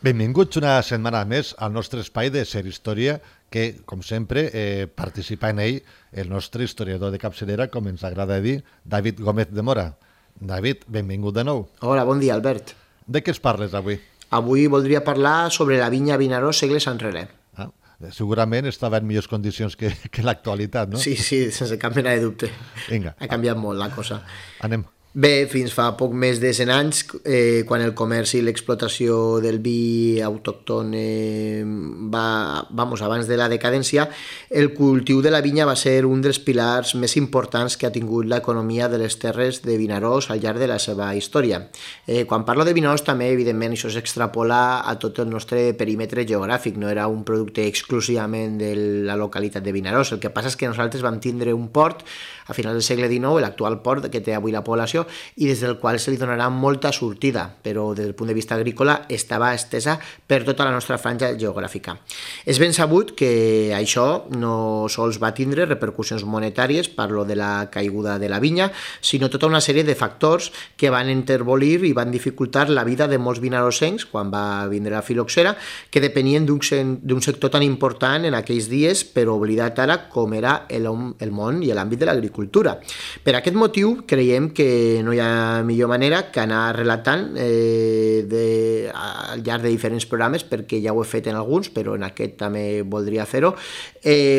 Benvinguts una setmana més al nostre espai de Ser Història, que, com sempre, participa en ell el nostre historiador de capçalera, com ens agrada dir, David Gómez de Mora. David, benvingut de nou. Hola, bon dia, Albert. De què es parles avui? Avui voldria parlar sobre la vinya Vinaròs segles enrere. Segurament estava en millors condicions que l'actualitat, no? Sí, sense cap mena de dubte. Vinga. Ha canviat molt la cosa. Anem. Bé, fins fa poc més de 100 anys, quan el comerç i l'explotació del vi autòcton abans de la decadència, el cultiu de la vinya va ser un dels pilars més importants que ha tingut l'economia de les terres de Vinaròs al llarg de la seva història. Quan parlo de Vinaròs també, evidentment, això s'extrapola a tot el nostre perímetre geogràfic, no era un producte exclusivament de la localitat de Vinaròs. El que passa és que nosaltres vam tindre un port a finals del segle XIX, l'actual port que té avui la població, i des del qual se li donarà molta sortida, però des del punt de vista agrícola estava estesa per tota la nostra franja geogràfica. És ben sabut que això no sols va tindre repercussions monetàries, parlo de la caiguda de la vinya, sinó tota una sèrie de factors que van intervolir i van dificultar la vida de molts vinarossencs quan va vindre la filoxera, que depenien d'un sector tan important en aquells dies, però oblidat ara com era el món i l'àmbit de l'agricultura. Per aquest motiu creiem que no hi ha millor manera que anar relatant al llarg de diferents programes, perquè ja ho he fet en alguns, però en aquest també voldria fer-ho,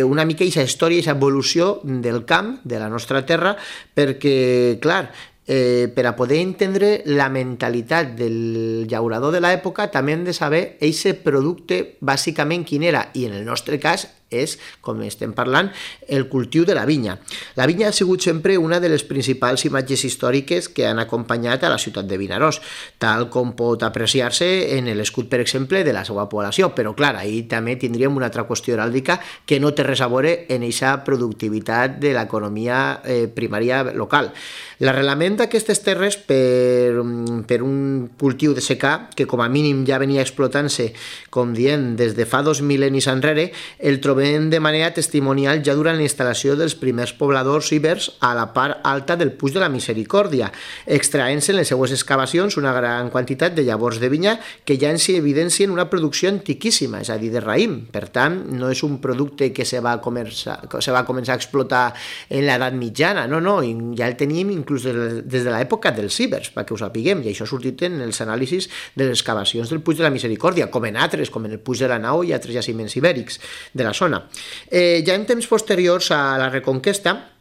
una mica aquesta història, aquesta evolució del camp, de la nostra terra, perquè, clar, per a poder entendre la mentalitat del llaurador de l'època també hem de saber aquest producte bàsicament quin era, i en el nostre cas és, com estem parlant, el cultiu de la vinya. La vinya ha sigut sempre una de les principals imatges històriques que han acompanyat a la ciutat de Vinaròs, tal com pot apreciar-se en l'escut, per exemple, de la seva població, però clar, ahir també tindríem una altra qüestió heràldica que no té res a veure en aquesta productivitat de l'economia primària local. L'arrelament d'aquestes terres per un cultiu de secà, que com a mínim ja venia explotant-se, com dient, des de fa 2 mil·lennis enrere, el trobem de manera testimonial ja durant la instal·lació dels primers pobladors ibers a la part alta del Puig de la Misericòrdia, extraent-se en les seues excavacions una gran quantitat de llavors de vinya que ja ens evidencien una producció antiquíssima, és a dir, de raïm. Per tant, no és un producte que se va començar a explotar en l'edat mitjana, no, ja el teníem inclús des de l'època dels ibers, perquè ho sapiguem, i això ha sortit en els anàlisis de les excavacions del Puig de la Misericòrdia, com en altres, com en el Puig de la Nau i altres jaciments ibèrics de la zona. Ja en temps posteriors a la Reconquesta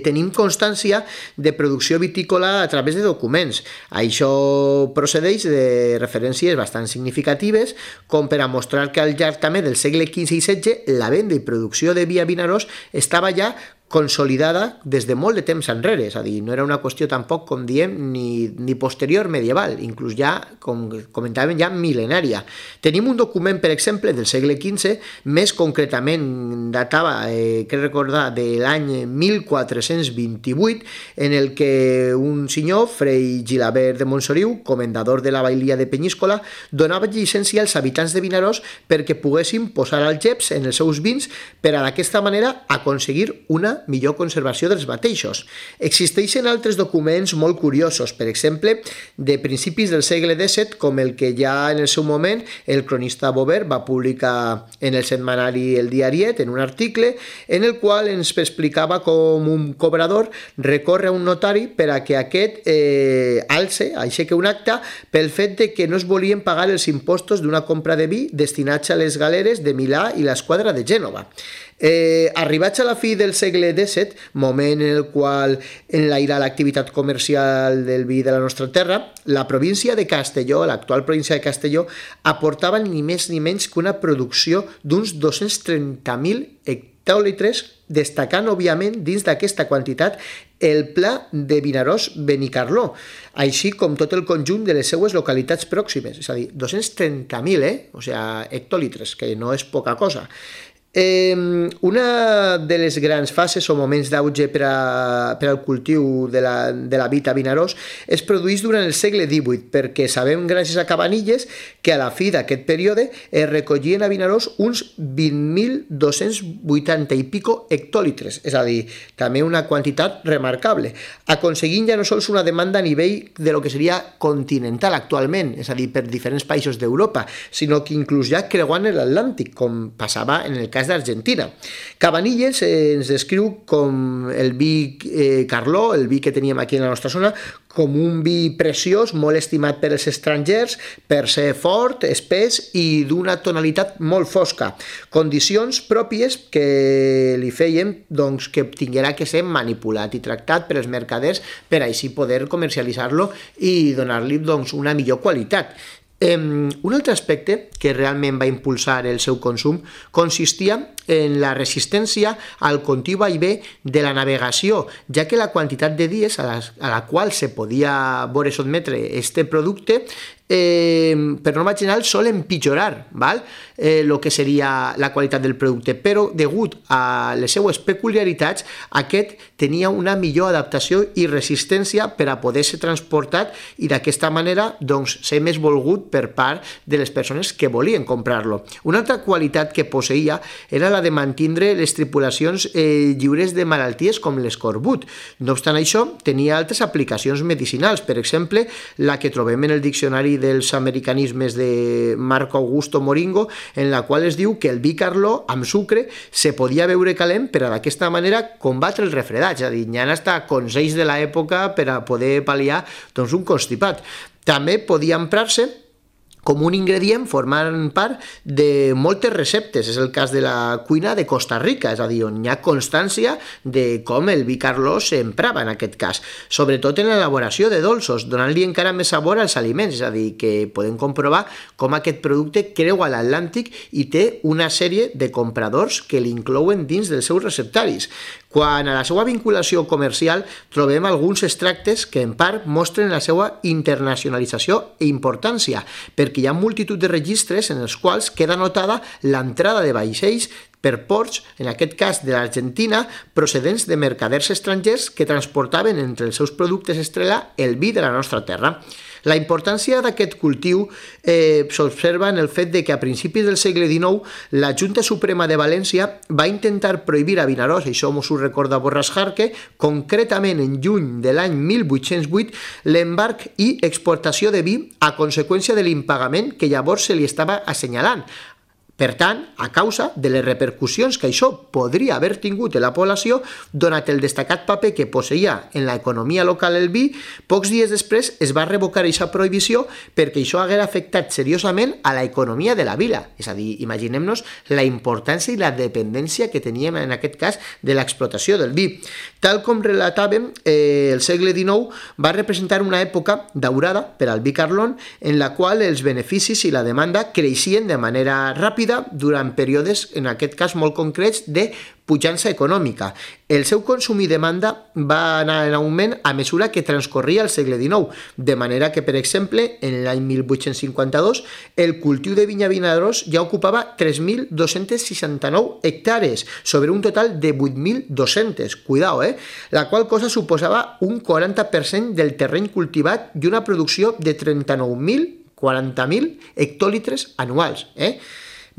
tenim constància de producció vitícola a través de documents. Això procedeix de referències bastant significatives, com per a mostrar que al llarg també del segle XV i XVI la venda i producció de vi a Vinaròs estava ja consolidada des de molt de temps enrere, és a dir, no era una qüestió tampoc, com diem, ni posterior medieval, inclús ja, com comentàvem, ja mil·lenària. Tenim un document, per exemple, del segle XV, més concretament datava, crec recordar, de l'any 1428, en el que un senyor, Frei Gilabert de Montsoriu, comendador de la bailía de Penyíscola, donava llicència als habitants de Vinaròs perquè poguessin posar algeps en els seus vins per a d'aquesta manera aconseguir una millor conservació dels mateixos. Existeixen altres documents molt curiosos, per exemple, de principis del segle XVII, com el que ja en el seu moment el cronista Bover va publicar en el setmanari El Diariet, en un article, en el qual ens explicava com un cobrador recorre a un notari per a que aquest aixequi un acte pel fet de que no es volien pagar els impostos d'una compra de vi destinats a les galeres de Milà i l'esquadra de Gènova. Arribats a la fi del segle XVII, moment en el qual enlaira l'activitat comercial del vi de la nostra terra, la província de Castelló, l'actual província de Castelló, aportava ni més ni menys que una producció d'uns 230.000 hectòlitres, destacant, òbviament, dins d'aquesta quantitat el pla de Vinaròs-Benicarló, així com tot el conjunt de les seues localitats pròximes, és a dir, 230.000, o sigui, hectòlitres, que no és poca cosa. Una de les grans fases o moments d'auge per al cultiu de la vid a Vinaròs es produeix durant el segle XVIII, perquè sabem gràcies a Cabanilles que a la fi d'aquest període es recollien a Vinaròs uns 20.280 i pico hectòlitres, és a dir, també una quantitat remarcable, aconseguint ja no sols una demanda a nivell de lo que seria continental actualment, és a dir, per diferents països d'Europa, sinó que inclús ja creuant l'Atlàntic, com passava en el cas d'Argentina. Cabanilles ens descriu com el vi Carló, el vi que teníem aquí en la nostra zona, com un vi preciós, molt estimat per els estrangers, per ser fort, espès i d'una tonalitat molt fosca. Condicions pròpies que li feien doncs, que tinguera que ser manipulat i tractat per els mercaders per així poder comercialitzar-lo i donar-li doncs, una millor qualitat. Un altre aspecte que realment va impulsar el seu consum consistia en la resistència al continu vaivé de la navegació, ja que la quantitat de dies a la qual se podia veure sotmetre este producte per norma general sol empitjorar el que seria la qualitat del producte, però degut a les seues peculiaritats aquest tenia una millor adaptació i resistència per a poder ser transportat i d'aquesta manera doncs, ser més volgut per part de les persones que volien comprar-lo. Una altra qualitat que posseïa era la de mantindre les tripulacions lliures de malalties com l'escorbut. No obstant això, tenia altres aplicacions medicinals, per exemple, la que trobem en el diccionari dels americanismes de Marco Augusto Moringo, en la qual es diu que el vi Carló amb sucre se podia beure calent per a d'aquesta manera combatre el refredat, és a dir, hi ha hasta consells de l'època per a poder pal·liar doncs, un constipat. També podia emprar-se com un ingredient formant part de moltes receptes. És el cas de la cuina de Costa Rica, és a dir, on hi ha constància de com el vi Carló s'emprava en aquest cas, sobretot en l'elaboració de dolços, donant-li encara més sabor als aliments, és a dir, que podem comprovar com aquest producte creua l'Atlàntic i té una sèrie de compradors que l'inclouen dins dels seus receptaris. Quant a la seva vinculació comercial, trobem alguns extractes que en part mostren la seva internacionalització i importància, perquè hi ha multitud de registres en els quals queda notada l'entrada de vaixells per ports, en aquest cas de l'Argentina, procedents de mercaders estrangers que transportaven entre els seus productes estrella el vi de la nostra terra. La importància d'aquest cultiu s'observa en el fet que a principis del segle XIX la Junta Suprema de València va intentar prohibir a Vinaròs, això ens ho recorda Borràs Jarque, concretament en juny de l'any 1808, l'embarc i exportació de vi a conseqüència de l'impagament que llavors se li estava assenyalant. Per tant, a causa de les repercussions que això podria haver tingut en la població, donat el destacat paper que posseïa en l'economia local el vi, pocs dies després es va revocar aquesta prohibició perquè això haguera afectat seriosament a l'economia de la vila. És a dir, imaginem-nos la importància i la dependència que teníem en aquest cas de l'explotació del vi. Tal com relatàvem, el segle XIX va representar una època daurada per al vi Carlón en la qual els beneficis i la demanda creixien de manera ràpida durant períodes, en aquest cas molt concrets, de pujança econòmica. El seu consum i demanda va anar en augment a mesura que transcorria el segle XIX, de manera que, per exemple, en l'any 1852, el cultiu de vinya a Vinaròs ja ocupava 3.269 hectàrees, sobre un total de 8.200, cuidao, la qual cosa suposava un 40% del terreny cultivat i una producció de 39.040 hectòlitres anuals,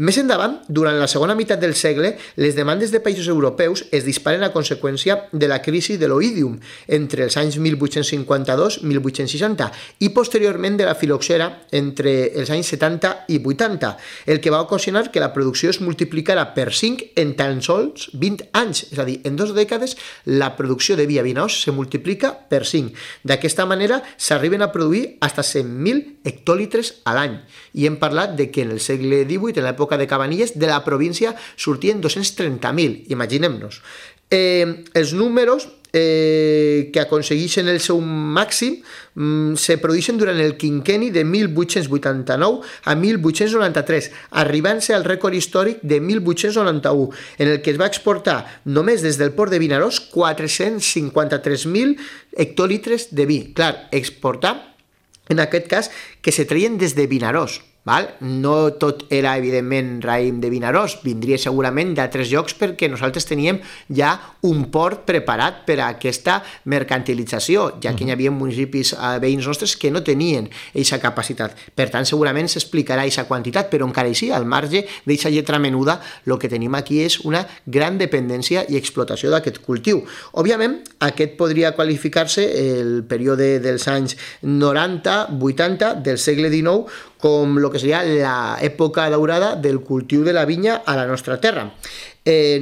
Més endavant, durant la segona meitat del segle, les demandes de països europeus es disparen a conseqüència de la crisi de l'oïdium entre els anys 1852-1860 i posteriorment de la filoxera entre els anys 70 i 80, el que va ocasionar que la producció es multiplicara per 5 en tan sols 20 anys, és a dir, en 2 dècades la producció de vi a Vinaròs se multiplica per 5. D'aquesta manera s'arriben a produir fins a 100.000 hectòlitres a l'any i hem parlat de que en el segle XVIII, en l'època de Cabanilles, de la província sortien 230.000, imaginem-nos. Els números que aconsegueixen el seu màxim se produeixen durant el quinquenni de 1889 a 1893, arribant-se al rècord històric de 1891, en el que es va exportar només des del port de Vinaròs 453.000 hectòlitres de vi. Clar, exportar en aquest cas que se treien des de Vinaròs. Val? No tot era, evidentment, raïm de Vinaròs, vindria segurament d'altres llocs perquè nosaltres teníem ja un port preparat per a aquesta mercantilització, ja que hi havia municipis veïns nostres que no tenien aquesta capacitat. Per tant, segurament s'explicarà aquesta quantitat, però encara així, al marge d'aquesta lletra menuda, el que tenim aquí és una gran dependència i explotació d'aquest cultiu. Òbviament, aquest podria qualificar-se el període dels anys 90-80 del segle XIX com el que seria l'època daurada del cultiu de la vinya a la nostra terra.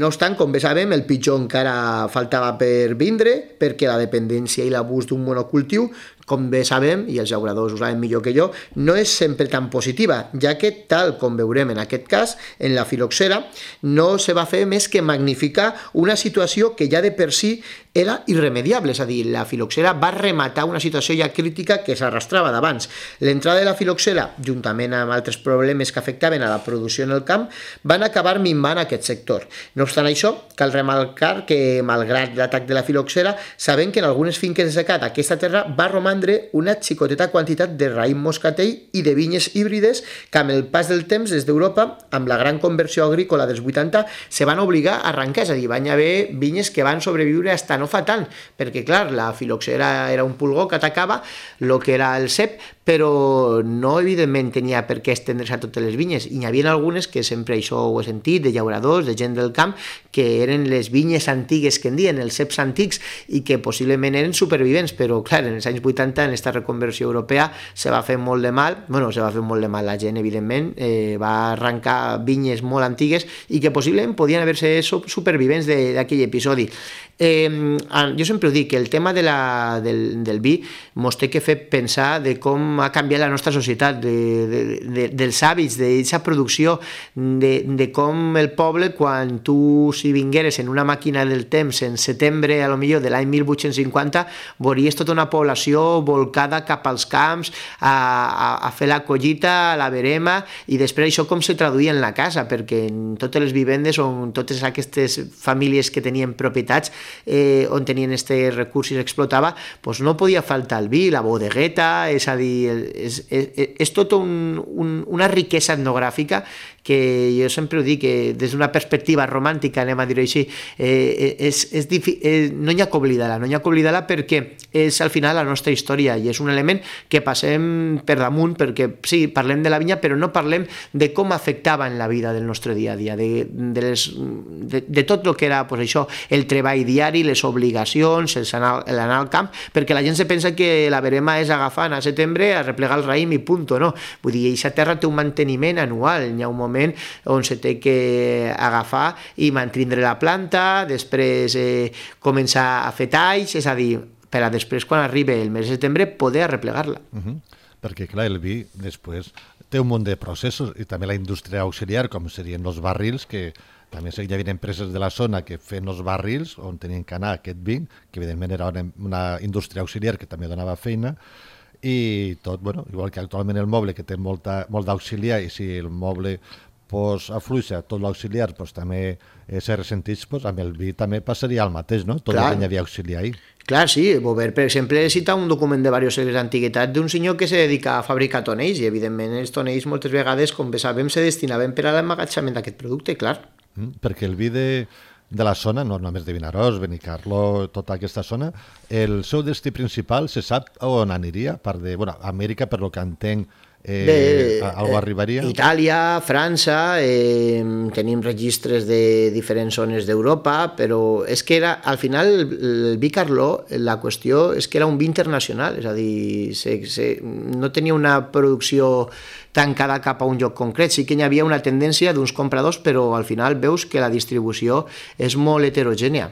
No obstant, com bé sabem, el pitjor encara faltava per vindre, perquè la dependència i l'abús d'un monocultiu, com bé sabem, i els llauradors ho saben millor que jo, no és sempre tan positiva, ja que, tal com veurem en aquest cas, en la filoxera, no se va fer més que magnificar una situació que ja de per si era irremediable, és a dir, la filoxera va rematar una situació ja crítica que s'arrastrava d'abans. L'entrada de la filoxera, juntament amb altres problemes que afectaven a la producció en el camp, van acabar minvant aquest sector. No obstant això, cal remarcar que, malgrat l'atac de la filoxera, sabem que en algunes finques de secà d'aquesta terra va romandre una xicoteta quantitat de raïm moscatell i de vinyes híbrides que amb el pas del temps des d'Europa, amb la gran conversió agrícola dels 80, se van obligar a arrencar, és a dir, van haver vinyes que van sobreviure hasta no fa tant, perquè clar, la filoxera era un pulgó que atacava el que era el cep, però no evidentment tenia per què estendre's a totes les vinyes, i n'hi havia algunes que sempre això ho he sentit, de llauradors, de gent del camp, que eren les vinyes antigues que en diuen, els ceps antics, i que possiblement eren supervivents, però clar, en els anys 80 en aquesta reconversió europea se va fer molt de mal, la gent evidentment va arrencar vinyes molt antigues i que possiblement podien haver-se supervivents d'aquell episodi. Jo sempre ho dic, que el tema del vi mos té que fer pensar de com ha canviat la nostra societat, dels hàbits, d'aquesta producció, de com el poble, quan tu si vingueres en una màquina del temps en setembre, a lo millor de l'any 1850, veuries tota una població volcada cap als camps a fer la collita, la verema, i després això com se traduïa en la casa, perquè en totes les vivendes on totes aquestes famílies que tenien propietats on tenien aquests recursos i explotava, doncs no podia faltar el vi, la bodegueta, és a dir, és tota una riquesa etnogràfica que jo sempre ho dic, que des d'una perspectiva romàntica, anem a dir-ho així, no hi ha que oblidar-la, perquè és al final la nostra història i és un element que passem per damunt, perquè sí, parlem de la vinya, però no parlem de com afectava en la vida del nostre dia a dia, de tot el que era això, el treball diari, les obligacions, l'anar al camp, perquè la gent se pensa que la verema és agafar a setembre, a replegar el raïm i punt, no? Vull dir, aquesta terra té un manteniment anual, hi ha un moment on se té que agafar i mantindre la planta, després començar a fer talls, és a dir, per a després, quan arribi el mes de setembre, poder arreplegar-la. Perquè, clar, el vi després té un munt de processos i també la indústria auxiliar, com serien els barrils, que també hi havia empreses de la zona que feien els barrils on tenien que anar aquest vi, que evidentment era una indústria auxiliar que també donava feina, i tot, bueno, igual que actualment el moble, que té molt d'auxiliar, i si el moble afluixa tot l'auxiliar, també se ressenteix, amb el vi també passaria el mateix, no? Tot el que hi havia auxiliar ahí. Clar, sí, Bover, per exemple, cita un document de diversos segles d'antiguitat d'un senyor que se dedica a fabricar tonells, i evidentment els tonells moltes vegades, com bé sabem, se destinaven per a l'emmagatjament d'aquest producte, clar. Perquè el vi de la zona, no només de Vinaròs, Benicarló, tota aquesta zona, el seu destí principal se sap on aniria? A part de, Amèrica, per lo que entenc, algú arribaria? Itàlia, França, tenim registres de diferents zones d'Europa, però és que era, al final, el vi Carló, la qüestió és que era un vi internacional, és a dir, no tenia una producció tancada cap a un lloc concret, sí que hi havia una tendència d'uns compradors, però al final veus que la distribució és molt heterogènia.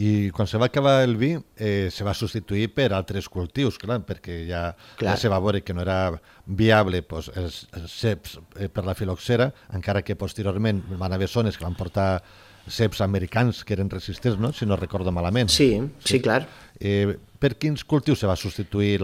I quan se va acabar el vi se va substituir per altres cultius, clar, perquè ja se va veure que no era viable els ceps per la filoxera, encara que posteriorment van haver zones que van portar ceps americans que eren resistents, no? Si no recordo malament. Sí, clar. Per quins cultius se va substituir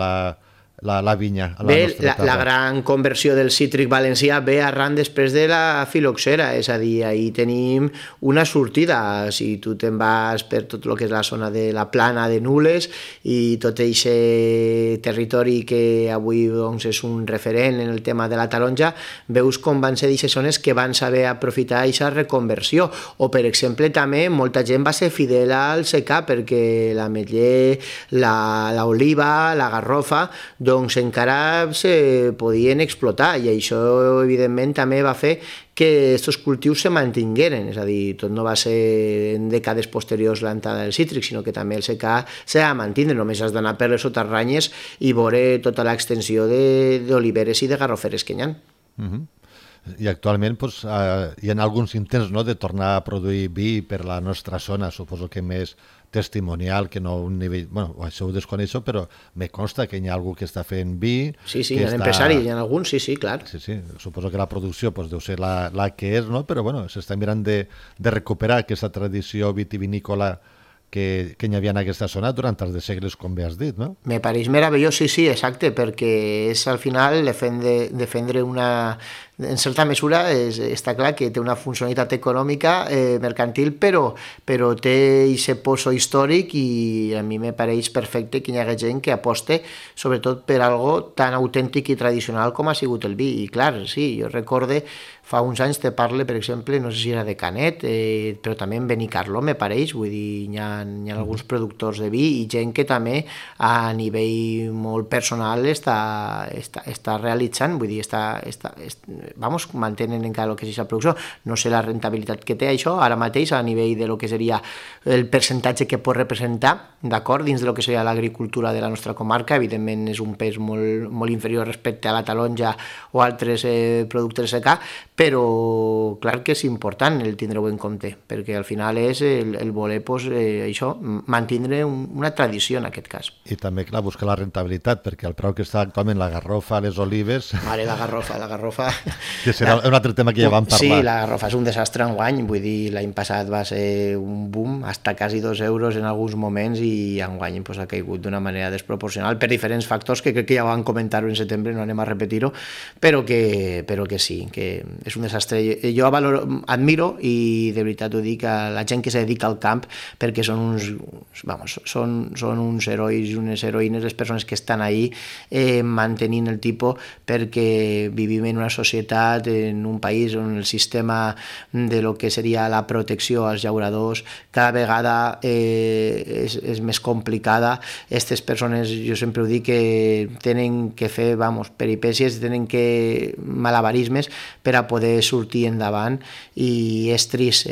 la vinya a la Bé, nostra terra. la gran conversió del cítric valencià ve arran després de la filoxera, és a dir, ahir tenim una sortida. Si tu te'n vas per tot el que és la zona de la plana de Nules i tot aquest territori que avui doncs, és un referent en el tema de la taronja, veus com van ser d'aquestes zones que van saber aprofitar aquesta reconversió. O, per exemple, també molta gent va ser fidel al secà perquè l'ametller, l'oliva, la garrofa, doncs encara se podien explotar i això evidentment també va fer que aquests cultius se mantingueren, és a dir, tot no va ser en dècades posteriors l'entrada del cítric, sinó que també el secà s'ha de mantenir, només has d'anar per les soterranyes i veure tota l'extensió d'oliveres i de garroferes que hi ha. I actualment doncs, hi ha alguns intents, no?, de tornar a produir vi per la nostra zona, suposo que més testimonial, que no un nivell... Bueno, això ho desconeixo, però me consta que hi ha algú que està fent vi... Sí, hi ha empresaris, hi ha alguns, sí, clar. Sí, suposo que la producció doncs, deu ser la que és, no? Però bueno, s'està mirant de recuperar aquesta tradició vitivinícola que hi havia en aquesta zona durant els de segles, com bé has dit, no? Me pareix meravellós, sí, exacte, perquè és al final defendre una... En certa mesura està clar que té una funcionalitat econòmica, mercantil, però té aquest poso històric i a mi me pareix perfecte que hi hagi gent que aposte sobretot per algo tan autèntic i tradicional com ha sigut el vi. I clar, sí, jo recorde fa uns anys te parle, per exemple, no sé si era de Canet, però també en Benicarló, me pareix, vull dir, hi ha alguns productors de vi i gent que també a nivell molt personal està realitzant, vull dir, mantenen encara el que és aquesta producció. No sé la rentabilitat que té això ara mateix a nivell de lo que seria el percentatge que pot representar, d'acord, dins de lo que seria l'agricultura de la nostra comarca. Evidentment és un pes molt, molt inferior respecte a la taronja o altres productes de secà, però clar que és important el tindre-ho en compte, perquè al final és el voler això, mantindre una tradició en aquest cas. I també, clar, buscar la rentabilitat, perquè el preu que està actualment la garrofa, les olives... Vale, la garrofa... Que serà un altre tema que ja vam parlar. Sí, la garrofa és un desastre enguany, vull dir, l'any passat va ser un boom, hasta quasi 2 euros en alguns moments i enguany pues, ha caigut d'una manera desproporcional per diferents factors que crec que ja van comentar-ho en setembre, no anem a repetir-ho, però que sí, que és un desastre. Jo admiro i de veritat ho dic a la gent que se dedica al camp perquè són uns herois i unes heroïnes, les persones que estan ahí mantenint el tipus, perquè vivim en una societat, en un país on el sistema de lo que seria la protecció als llauradors cada vegada és més complicada. Aquestes persones, jo sempre ho dic, que tenen que fer peripècies, tenen que malabarismes per a poder sortir endavant i és trist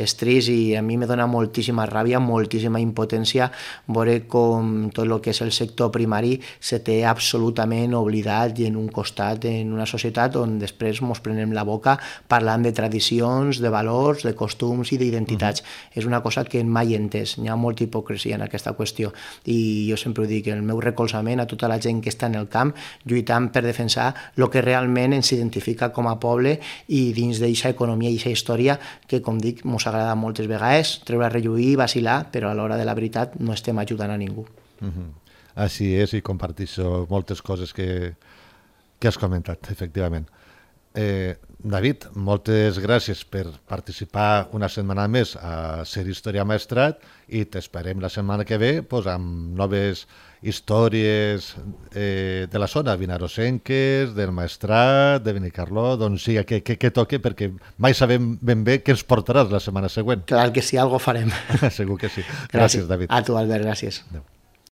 i a mi me dona moltíssima ràbia, moltíssima impotència veure com tot el que és el sector primari se té absolutament oblidat i en un costat en una societat on després ens prenem la boca parlant de tradicions, de valors, de costums i d'identitats. És una cosa que mai he entès. Hi ha molta hipocresia en aquesta qüestió i jo sempre ho dic, el meu recolzament a tota la gent que està en el camp lluitant per defensar el que realment ens identifica com a poble i dins d'aquesta economia i aquesta història que, com dic, ens agrada moltes vegades treure a relluir, vacilar, però a l'hora de la veritat no estem ajudant a ningú. Així és, i comparteixo moltes coses que has comentat, efectivament. David, moltes gràcies per participar una setmana més a Ser Història Maestrat i t'esperem la setmana que ve amb noves històries de la zona, vinarosenques, del Maestrat, de Benicarló, doncs sí, que toque, perquè mai sabem ben bé què ens portaràs la setmana següent. Clar que sí, algo farem. Segur que sí. Gràcies, David. A tu, Albert, gràcies. Adéu.